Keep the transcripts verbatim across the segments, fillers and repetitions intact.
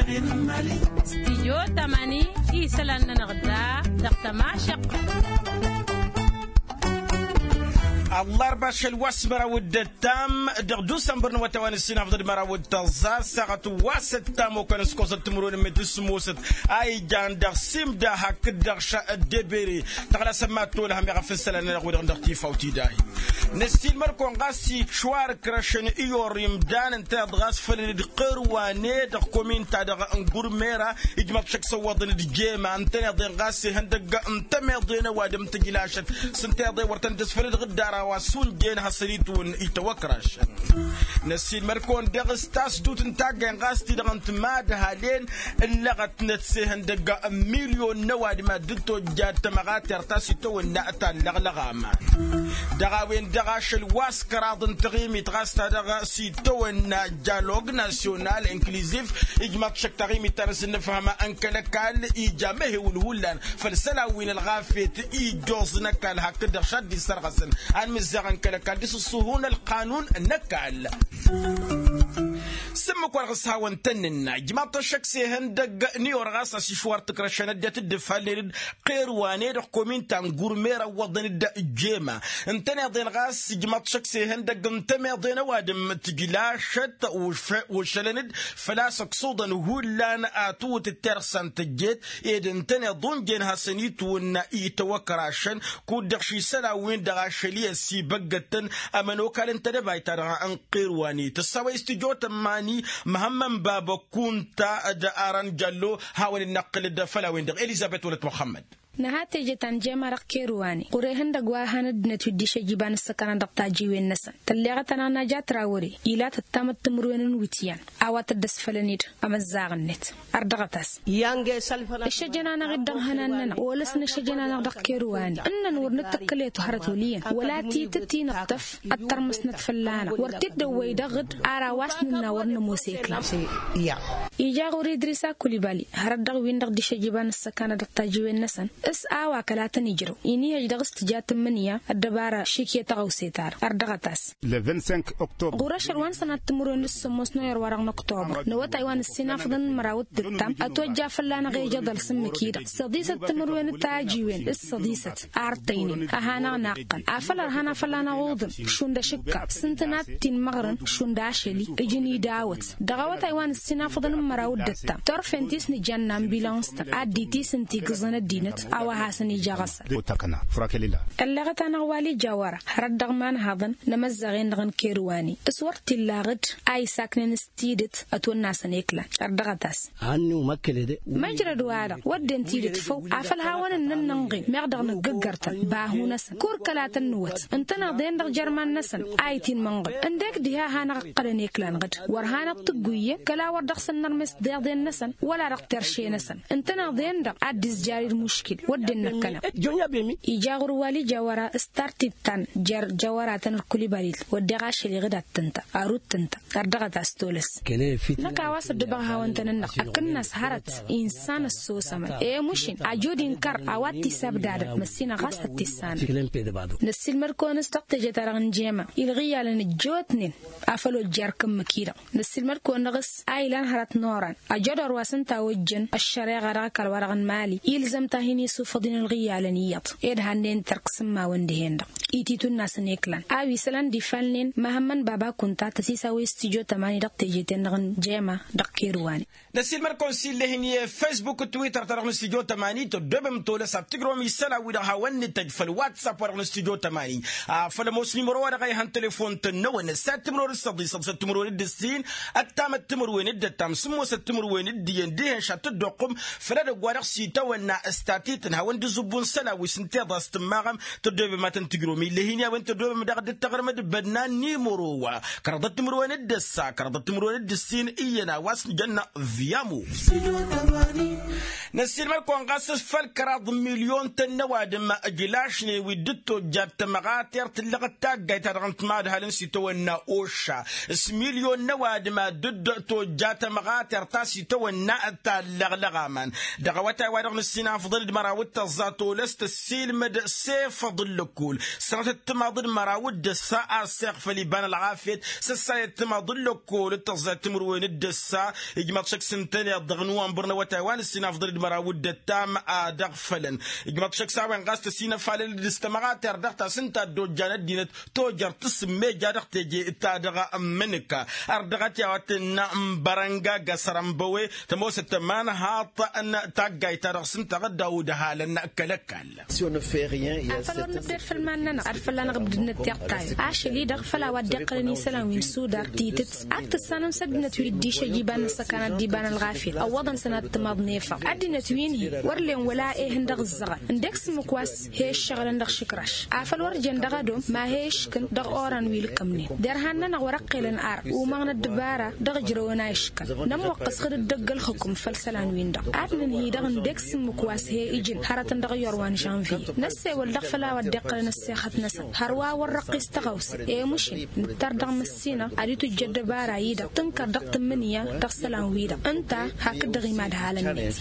Stijyo tămani isălan-nănăɣ da dăɣ-tămašăqqa. Ăllarba ašăl wa s-măraw d-ăttam dăɣ-dusănbăr n-awătay wa n-ǝssin afḍăd măraw d-tăẓẓa ăssaɣăt wa s-ăttam okănăskosăt timǝrwen n-met s-musăt a ijan dăɣ-simda hakd dăɣ-ša d-ebere. Tăɣlasăn mad-tolăhăm i-ɣăf n-isălan-nănăɣ wi-dăɣ dăɣ-tifawt-i dahi. Năssiilmăr-kăwăn ɣas ičwarǝkrăšăn i-orr imdan ǝntăneḍ ɣas făll-dd qerwane dăɣ-komin-ta-dăɣ n-gurmera. Ijmăḍ šăkk s-ăwwăḍăn d-jema ǝntăneḍ-en ɣas ihăndăgg n-tămeḍe n-ăwadǝm tǝjlašăt s-ǝnta i-ḍe wăr tăn-dd-ăsfăl d-ɣǝddar a-wa s-unjăyăn hasăn-itwǝn itawăkrašăn. Năssiilmăr-kăwăn dăɣ-s tasdut n-taggay ɣas ti-dăɣ n-timadhalen ǝllăɣătnăt s-ehăndăgg n-milyon n-ăwadǝm ad-dd-tojjad tămăɣatert ta s-itawănna ta n-lăɣlăɣ aman. Dăɣ-a-wen-dăɣ ašăl wa s-kăraḍ n-taɣimit ɣas ta dăɣ-s itawănna jalog nasyonal inkliziv. Ijmaḍ šăkk taɣimit ta n-asǝnnăfhăm n-kăl-ăkall ija mehewǝl hullan făll-isălan wi n-ălɣafyăt ijjoẓ n-ăkall hakd-dăɣ šadd-issărɣăsăn anmǝzzaɣ n-kăl-ăkall d-isǝṣṣuhun ălqanun n-ăkall. S-ǝmmǝk wa dăɣ-s hawăn-tăn-nǝnna ijmaḍ-t ăššăk s-ehăndăgg n-iwăr ɣas a-s išwar tǝkrăšăn ăddinăt dd-ǝfhălnen-dd qerwane dăɣ-komin ta n-gurmer ăwwăḍăn-dd jema ǝntăneḍ-en ɣas ijmaḍ-t ăššăk s-ehăndăgg n-tămeḍe n-ăwadǝm tǝjlašăt. Wăššălăn-dd făl-a-s ăksuḍăn hullan a tǝwǝt d-tersa n-tăjjet ed ǝntăneḍ unjăyăn hasăn-itwǝnna itawăkrašăn. Kud-dăɣ šisălan-win-dăɣ ašăl i-ăssibăggătăn ămănokal n-tedăbayt-ta-dăɣ n-qerwane tǝssawăy s-tijot ămmani. Măhămmăn baba kunta d-aran jallo hawăn-dd-năqqǝl-dd făll-a-wen-dăɣ elizăbet wălăt muxămmăd. Nǝha teje ta n-jema dăɣ-kerwane ɣur-ehăndăgg wa han ăddinăt wi dd-išăjj iba n-ǝssăkanăn dăɣ-tajiwen-năsăn tălleɣăt-anăɣ naja trawăre. Ila tǝttamăt timǝrwen n-iwǝtyan a-wa tădd-ăsfălăn-dd amăzzaɣ-net. Ărdăɣăt-as ǝššăjăn-anăɣ-dd dăɣ-ihănan-nănăɣ olăs n-ǝššăjăn-anăɣ dăɣ-kerwane ǝnnăn wăr nǝttăkkǝl i-tuhărăt wăl' iyyăn wăla titǝt-i nǝṭṭăf. Ăttărmăsnăt fălla-năɣ wăr t-dd-ăwwăy dăɣ-dd ara wa s-nǝnna wăr nămoos i-iklan. Ija ɣur-idrisa kulibali hărăt dăɣ-win-dăɣ dd-išăjj iba n-ǝssăkanăn dăɣ-tajiwen-năsăn s-a-wa kăla tăn-ijrăw inihăj dăɣ-s tǝja tǝmmǝnǝya ăddăbara šik i-tăɣăwse-ta-dăɣ. Ărdăɣăt-as ɣur-ašăl wa n-sănat timǝrwen d-sǝmmos n-oyăr-wa-dăɣ n-oktobăr n-awătay wa n-ǝssinafḍăn n-măraw d-tǝttam ătojja fălla-năɣ ejăḍăl s-ǝmmǝk-i-dăɣ săḍisăt timǝrwen d-tajiwen s-săḍisăt. Ar tăynen ăhanăɣ-naqqăn afăl ărhan a fălla-năɣ uḍǝm šund ašǝkka s-ǝntănat ti n-imăɣrăn šund ašăl-i ǝjǝn idawăt. Dăɣ-awătay wa n-ǝssinafḍăn n-măraw d-ǝttam turfen ti s-nǝjănna n-bilănstăn ad-dd-itisǝnti igǝẓăn ăddinăt a-wa hasăn-ija aɣăsăl. Ălleɣăt-anăɣ wal' ija wăra hărăt dăɣ-imanhaḍăn n-emăzzăɣ-en-dăɣ n-kerwani s-wăr t-illaɣ-dd a isaknen s-tidǝt ătwănnasăn i-iklan. Ărdăɣăt-as măjrăd-wa-dăɣ wădden tidǝt făw afăl hawăn-ǝnnăn nǝnɣim meɣ dăɣ-nǝggǝggăr-tăn bahu-năsăn kur kăla tăn-nǝwăt ǝntăneḍ-en-dăɣ jer-iman-năsăn a itinmănɣăl ǝndek diha a hanăɣ-ǝqqălăn i-iklan ɣǝd wăr hanăɣ-tǝggu iyyăn kăla wăr dăɣ-săn nărmes deḍen-năsăn wăla dăɣ-terše-năsăn. Ǝntăneḍ-en-dăɣ ad-dd-izjar-dd muškil wădden năkkăneḍ. Ija ɣur-wal' ija wăra s-tartit ta n-jer-jăwăratăn d-kulibalit wădden ašăl-i ɣǝd ad-tǝnta arut tǝnta. Ărdăɣăt-as tolăs năkk a-wa s-ăddubăɣ hawăn-tăn-ǝnneɣ akǝnnas hărăt insan ăssosămăn i-mušin ajud inkăr a-wa t-isabdadăn măssinăɣ ɣas ad-t-issanăn. Năssiilmăd-kăwăn s-dăɣ teje-ta-dăɣ n-jema ilɣǝyyalăn ăjjootnen afăl ojjar kǝmmǝk-i-dăɣ. Năssiilmăd-kăwăn dăɣ-s a ilan hărăt n-oran ăjădor wa s-ǝnta a ojjăn ăššăreɣa dăɣ-ăkall-wa-dăɣ n-mali ilzăm-t-ahin isufăḍ-in ǝlɣǝyyalăn iyyăḍ ed hannen tărk s-ǝmmawăn dihen-dăɣ. Ititunna s-ăneklan a-wa isălan d-ifalnen măhămmăn baba kunta tăsisawăy s-tijo tămani dăɣ-teje-ten-dăɣ n-jema dăɣ-kerwani. Năsiilmăd-kăwăn s-illăh-in i-fesbuk d-twitter-ta-dăɣ n-stijo tămani tăddobem tolăs ad-tǝjrăwăm isălan-wi-dăɣ hawăn-nǝtăj făll-whatsapp wa dăɣ-n stijo tămani. Afăl ămoos nimăro-wa-dăɣ a ihăn telefon tănnăwăn ăssat timǝrwen d-săḍisăt săt timǝrwen d-ǝssin ăttamăt timǝrwen d-ăttam sǝmmosăt timǝrwen d-iyyăn dihen šattăt d-oqqum. Făll-edăgg wa dăɣ-s itawănna ăstatităn hawăn-dd-iẓǝbbu n-isălan wi s-ǝnta iḍa s-tǝmmaɣăm tăddobem ad-tăn-tǝjrăwăm illăh-in i-a-wen tăddobem daɣ dd-taɣrǝm d-bănna n-imăro wa kăraḍăt timǝrwen d-ăssa kăraḍăt timǝrwen d-ǝssin iyyăn a-wa s-nǝjănna. Viyamu. Năssiilmăd-kăwăn ɣas făll-kăraḍ n-milyon-tăn n-ăwadǝm ǝjlašnen wi dd-tojjat tămăɣatert tǝllăɣăt taggayt-ta-dăɣ n-timadhalăn s-itawănna oša s-milyon n-ăwadǝm ad-dd-tojjat tămăɣatert ta s-itawănna. Tallăɣlăɣ aman dăɣ-awătay wa dăɣ-nǝssinafḍăn d-măra. a-wa t-tăẓẓa tolăst ăssiilmăd s-efăḍ n-lăkkol. Sănatăt timaḍ d-măraw d-ǝssa a ăssiɣfăl iba n-ălɣafyăt s-ăssayăt timaḍ n-lăkkol d-tăẓẓa timǝrwen d-ǝssa. Ijmaḍ šăkk s-ǝntăneḍ dăɣ-nowănbăr n-awătay wa n-ǝssin afḍăl d-măraw d-ăttam ad-ăɣfălăn. Ijmaḍ šăkk s-a-wen ɣas tăsinăfalăl d-s tămɣatert dăɣ-ta s-ǝnta ăddojjan ăddinăt tojăr tǝsǝmmej a dăɣ-teje ta dăɣ-ǝmmǝnǝka. Ărdăɣăt i-a-wa t-tǝnnă n-bărănga găsrănbăwe tămoosăt tămanhaḍt n-taggayt-ta-dăɣ s-ǝnta ɣǝdda udhalăn kăl-ăkall. Afăl wăr nǝbded făll-iman-nănăɣ ad-fălla-năɣ ǝbdǝdnăt tiɣtayăn ašăl-i-dăɣ făll-a-wa dd-iqqălăn isălan wi n-sudar titǝt. Ak tǝssanăm s-ăddinăt wi dd-išăjj iba n-ăssăkanat d-iba n-ălɣafyăt ăwwăḍăn sănat timaḍ n-efăḍ ăddinăt wi n-hi wăr len wăla ehăn dăɣ-ǝzzăɣăn. Ǝndek s-ǝmmǝk wa s-he-ǝššăɣǝlăn dăɣ-išǝkraš afăl wăr jen dăɣ-ădom ma he-iškǝn dăɣ-oran wi ǝlkămnen derhan-nănăɣ wăr-ăqqelăn ar umăɣnăt dăbara dăɣ-ǝjrăwăn a iškăn. Nămmăqqăs xǝd-dd-ăgg ălxǝkum făll-isălan-win-dăɣ ad-nǝnhǝy dăɣ-ǝndek s-ǝmmǝk wa s-he-ǝjǝn hărătăn dăɣ-iyyăr wa n-žănvye. Năssewăl dăɣ-făll-a-wa dd-iqqălăn ăssexăt-năsăn hărwa wăr răqqis tăɣawse. I-mušǝl nǝttar dăɣ-măssinăɣ ad-itujjăd dăbara-i-dăɣ tǝnkăr dăɣ-tǝmmǝnǝya dăɣ-isălan-wi-dăɣ ǝnta hakd-dăɣ imadhalăn-net.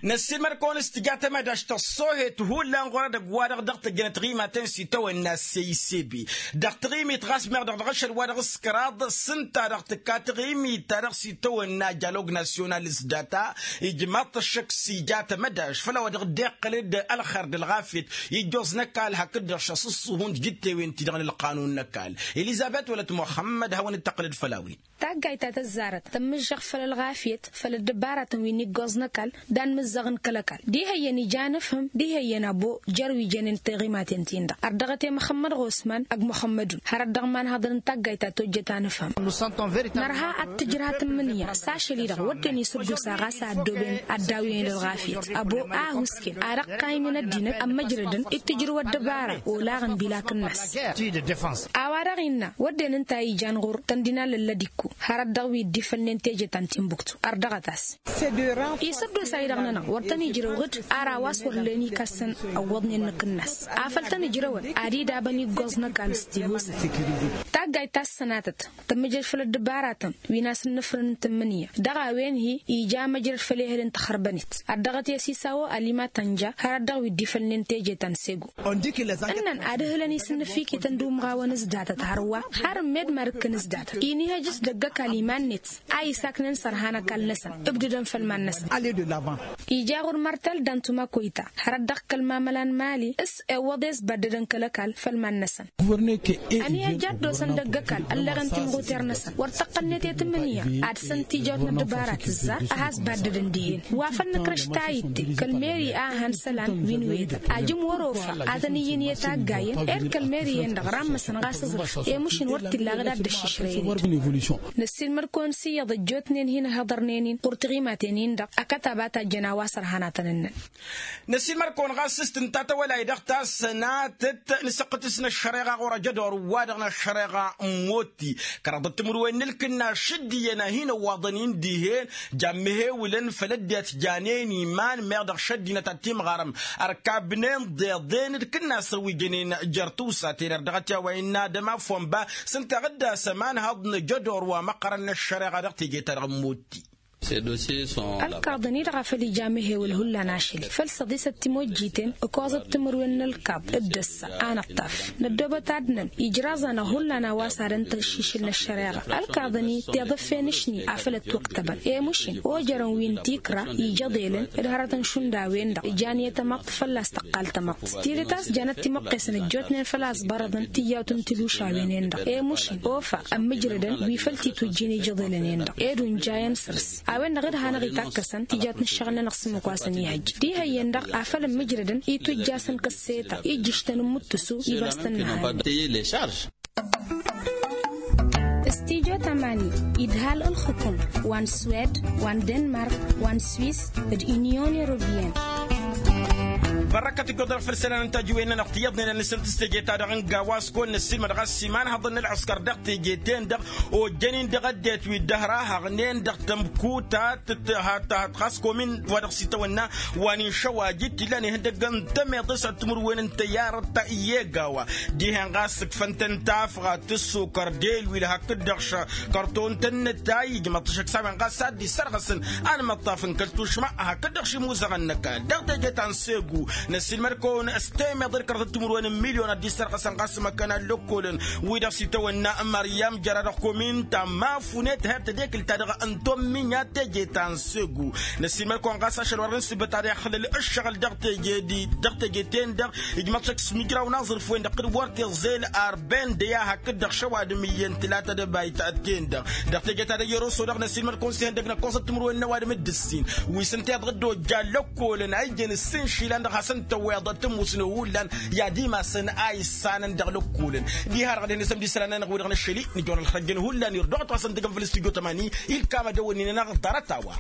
Năssiilmăd-kăwăn s-tǝja tămădaš tăṣṣohet hullan ɣur-edăgg-wa-dăɣ dăɣ-tăjjănăt ɣimatăn s-itawănna s-e-isebe dăɣ-taɣimit ɣas meɣ-dăɣ dăɣ-ašăl-wa-dăɣ s-kăraḍ s-ǝnta-dăɣ tǝkka taɣimit-ta-dăɣ s-itawănna jalog nasyonal s-data. Ijmaḍ-t ăššăk s-ija tămădaš făll-a-wa dăɣ-dd-iqqăl-dd ălxer d-ălɣafyăt ijjoẓ n-ăkall hakd-dăɣ šăṣṣuhun d-jǝttewent-ti-dăɣ n-ǝlqanun n-ăkall. Elizăbet wăla t-muxămmăd hawăn-dd-tăqqǝlăd făll-a-wen. Taggayt ta tăzzarăt tămmǝžžăɣ făll-ălɣafyăt făll-ăddăbaratăn wi n-iggoẓ n-ăkall. Dan mǝzzăɣ n-kăl-ăkall d-ihăyyăn ija n-ăfhǝm d-ihăyyăn abo jer-wi jănen tiɣimaten-tin-dăɣ. Ărdăɣăt i-măxămmăd ɣosman ăgg măxămmădun hărăt dăɣ-imanhăḍăn n-taggayt ta tojjăt anăfhǝm. Nărha ad-t-tǝjrăh tǝmmǝnǝya s-ašăl-i-dăɣ wădden isǝddusa ɣas a ăddooben ad-daw-en d-ălɣafyăt ăbo a ăhuusken ad-ăqqayǝmǝn ăddinăt ămmăjrădăn d-tǝjrǝw ăddăbara olaɣ n-bilak-năs. A-wa-dăɣ innă wădden ǝnta a ijan ɣur-tăn dinalăllăd ikku hărăt dăɣ-wi dd-ifălnen teje ta n-timbuktu. Ărdăɣăt-as isăddos-a-i-dăɣ-nănăɣ wăr tăn-ijrăw ɣǝd. Ara wa s-wăr len ikassăn ăwwăḍnen n-akǝnnas afăl tăn-ijrăwăn ad-idabăn iggoẓ n-ăkall s-tihusăn. Taggayt ta s-sănatăt tămmǝjrăd făll-ăddăbaratăn wi n-asǝnnǝfrǝn n-tǝmmǝnǝya dăɣ-a-wen-hi ija măjrăd făll-ehăl n-taxărbănet. Ărdăɣăt i-asisawo ălima tănja hărăt dăɣ-wi dd-ifălnen teje ta n-segu. Ǝnnăn ad-ǝhǝlăn isǝnnǝfikităn d-umɣawăn s-datăt hărwa har ǝmmed mad-ǝkkǝn s-datăt inihăj s-dăgg-ăkall iman-net a isaknen sărhan ăkall-năsăn ǝbdǝdăn făll-iman-năsăn. Ija ɣur-martal dantuma koyta hărăt dăɣ-kăl-mamăla n-mali s-ewwăḍ i-ăsbaddădăn kăl-ăkall făll-iman-năsăn. Ănihăjja ad-dd-osăn dăgg-ăkall ălleɣen timɣuter-năsăn wăr tăqqălnet i-tǝmmǝnǝya ad-săn tijawt n-ăddăbara tǝzzar a has-baddădăn dihen. Wa făl nǝkrăš ta itte kăl-meri a han isălan wi n-wedăr ajǝm wăr-ofa ad-tăn-iyyǝn i-taggayen ed kăl-meri-en-dăɣ rammăsăn ɣas aẓrǝf. I-mušǝn wăr t-illa ɣǝd ad-dd-ăššišrăyăn. Năssiilmăd-kăwăn s-iyyăḍ ăjjootnen hin-ăhhăḍărnen-in ɣur-tiɣimaten-in-dăɣ ăkătab a tajjăn a-wa sărhanatăn ǝnnăn. Năssiilmăd-kăwăn ɣas s-tǝnta tawălay dăɣ-ta s-sănatăt n-săqqǝtǝs n-ăššăreɣa ɣur-ajădor-wa-dăɣ n-ăššăreɣa n-motti kăraḍăt timǝrwen n-ǝlkǝnna šădd iyyăn a hin-ăwwaḍăn-in dihen. Jammăhewǝlăn făll-ăddinăt janen iman meɣ dăɣ-šăddinăt ad-timɣarăm ărkabnen deḍen d-kǝnnasăn wi jănen jer-tiwsaten ărdăɣăt i-a-wa innă adăm afwănba s-ǝnta ɣǝdda s-ămanhăḍ n-ajădor wa măqqărăn n-ăššăreɣa dăɣ-teje-ta-dăɣ n-motti. Ălkaḍăn-i-dăɣ a făl ija amǝhewăl hullan ašăl-i făl săḍisăt timojjiten ǝkoẓăt timǝrwen n-ălkaḍ d-ăssa. Anăṭṭaf năddoobăt ad-năn ijraẓ-anăɣ hullan a-wa s-ad-ăntăššišǝl n-ăššăreɣa. Ălkaḍăn-i tiḍǝffen ǝšni a făl ătwăktăbăn i-mušin ojărăn wi n-tikra ijăḍelăn d-hărătăn šund a-wen-dăɣ ǝjan i-tamăḍt fălla-s tăqqal tamăḍt tidǝt a-s janăt timăqqesăn ăjjootnen făl a ăẓbărăḍăn tijawt n-tilušawen-en-dăɣ i-mušin ofa ămmǝjrădăn wi făl titujjin ijăḍelăn-en-dăɣ ed unjayăn săr-s. A-wen-dăɣ d-hanăɣ-itakkăsăn tijawt n-ǝššăɣǝl-nănăɣ s-ǝmmǝk wa s-ănihăjj d-ihăyyen-dăɣ afăl ǝmmǝjrădăn itujj'-asăn kăsseta ijjǝš-tăn n-imǝttǝsu. Ibas tăn-nǝhădden s-tijot amani idhal ǝlxǝkǝm wa n-swed wa n-denmark wa n-swis d-inyon europeyăn. Fărrăkăt ǝggoḍ-dăɣ făll-isălan n-tajǝwen-nănăɣ tiyyăḍnen ănnăsăn tǝsseje-ta-dăɣ n-gawa s-kăwăn-năssiilmăd ɣas iman haḍăn n-ălɣǝskăr dăɣ-teje-ten-dăɣ ojjăn-in dăɣ-ăddinăt wi dd-ăhrahăɣnen dăɣ-tămkuta tǝthat ɣas komin wa dăɣ-s itawănna wa n-inšăwaj i-t-illan ihăndăg n-temeḍe s-ad-timǝrwen n-tăyyarăt i-egawa. Dihen ɣas ǝkfăn-tăn tafɣa tǝssukăr delwil hakd-dăɣ šăkărton tăn-nǝtay ijmăḍ-t ašăk s-a-wen ɣas ad-dd-issărɣăsăn anmăṭṭaf n-kăl-tušma hakd-dăɣ šimuzăɣăn n-ăkall dăɣ-teje ta n-segu. Năssiilmăd-kăwăn s-temeḍe d-kărăḍăt timǝrwen n-milyon ad-dd-issărɣăsăn ɣas măkkăn allăkkolăn wi-dăɣ s-itawănna măryam jăra dăɣ-komin ta mafunet her tedekǝlt-ta-dăɣ n-tomminya teje ta n-segu. Năssiilmăd-kăwăn ɣas ašăl wăren s-băt ad-ixlăl ǝššăɣǝl dăɣ-teje-ten-dăɣ ijmăḍ-t ašăk s-imǝjraw n-aẓrǝf-wen-dăɣ kăl-wăr tiẓel arben deya hakd-dăɣ šăwadǝm iyyăn tǝlatăt bayt-ten-dăɣ dăɣ-teje ta dăɣ-i-ăroso-dăɣ năsiilmăd-kăwăn s-ihăndăg n-ăkkoẓăt timǝrwen n-ăwadǝm d-ǝssin wi s-ǝnta iḍɣǝd ojja lăkkolăn a ijjăn ǝssin išilan dăɣ-hasăn-tăwweḍăt tǝmmusnen hullan i-ad-imasăn a issanăn dăɣ-lăkkolăn. Diha-dăɣ ad-hin-isămd isălan-nănăɣ wi-dăɣ năššăl-i nǝjwăr ălxăjjăn hullan irdăɣăt wa s-ăndăgăn făll-studyo tămani ilkam ad-ăwănnin-anăɣ ḍarăt-a-wa.